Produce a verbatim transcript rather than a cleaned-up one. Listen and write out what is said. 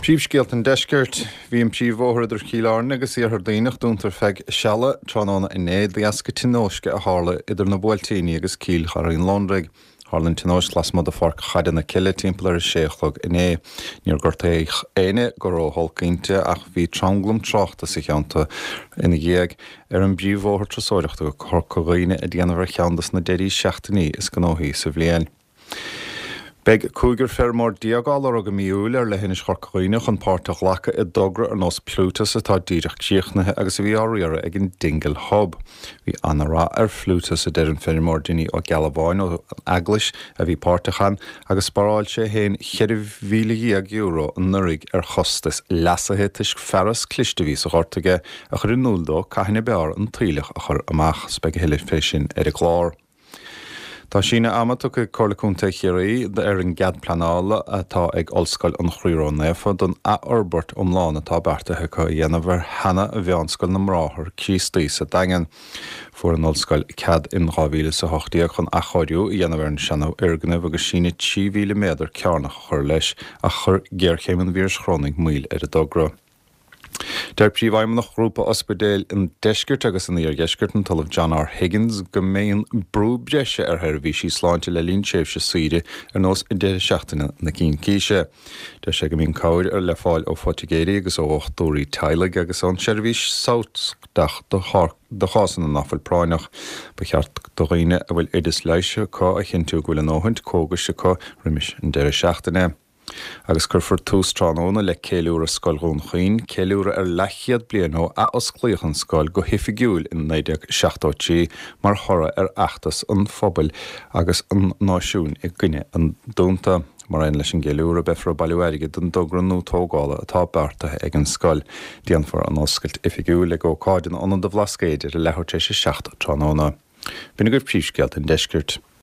Príomhscéalta an deiscirt bhí an príomhbhóthar idir Cill Airne agus Iarthar Duibhneach dúnta ar feadh seala tráthnóna inné de dheasca tionóisce a tharla idir na Buailtíní agus Cill Charraig an Londraigh. Tharla an tionóisc lasmuigh de Pháirc Chaide na Cille timpeall ar a sé a chlog inné. Níor gortaíodh éinne go ró-olc inti ach bhí tranglam tráchta sa cheantar ina dhiaidh ar an bpríomhbhóthar turasóireachta go Corca Dhuibhne ag déanamh ar cheann de na deirí seachtainí is gnóthaí sa bhliain. Beidh cúigear feirmeoir déag á lorg i mí Iúil ar leithinis Chorca Dhuibhne chun páirt a ghlacadh i dtogra ar nós Plutus atá díreach críochnaithe agus a bhí á riaradh ag an Dingle Hub. Bhí an-rath ar Phlutus a deir an feirmeoir Dinny Ó Gealbháin ó Eaglais a bhí páirteach ann agus spáráil sé féin ceithre mhíle dhéag euro anuraidh ar chostas leasaithe toisc fearas cliste a bhí sa ghort aige a chur in iúl dó cathain ab fhearr an t-aoileach a chur amach, beidh a thuilleadh fé sin ar an gclár. Tá síneadh ama tugtha ag Comhairle Contae Chiarraí ar an gcead pleanála atá ag Ollscoil an Chroí Ró-Naofa don athfhorbairt iomlán atá beartaithe acu a dhéanamh ar sheana-mheánscoil na mBráthar Críostaí sa Daingean. Fuair an ollscoil cead in dhá mhíle is a hocht déag chun athchóiriú a dhéanamh ar an seanfhoirgneamh agus síneadh trí mhíle méadar cearnach a chur leis ach chuir géarchéim an víris chorónaigh moill ar an dtogra. Deir Príomhfheidhmeannach Ghrúpa Ospidéil an Deiscirt agus an Iardheiscirt an tOllamh John R. Higgins go mbíonn brú breise ar sheirbhísí sláinte le linn tréimhse saoire ar nós deireadh seachtaine na Cincíse. Deir sé go mbíonn cabhair ar le fáil ó phoitigéirí agus ó dhochtúirí teaghlaigh agus ón seirbhís samhtach do chásanna nach bhfuil práinneach. Ba cheart do dhaoine a bhfuil oideas leighis acu a chinntiú go bhfuil a ndóthain cógais acu roimis an deireadh seachtaine. Agus cuirfear tús tráthnóna le ceiliúradh Scoil Dhún Chaoin, ceiliúradh ar leathchéad bliain ó athosclaíodh an scoil go hoifigiúil in naoi déag seachtó trí mar thoradh ar fheachtas an phobail agus an náisiúin i gcoinne an dúnta. Mar aon leis an gceiliúradh beifear ag bailiú airgid don dtogra nua tógála atá beartaithe ag an scoil. Déanfar an oscailt oifigiúil ag ócáid in Ionad an Bhlascaoid ar a leathuair tar éis a seacht tráthnóna. B'in agaibh príomhscéalta an deiscirt.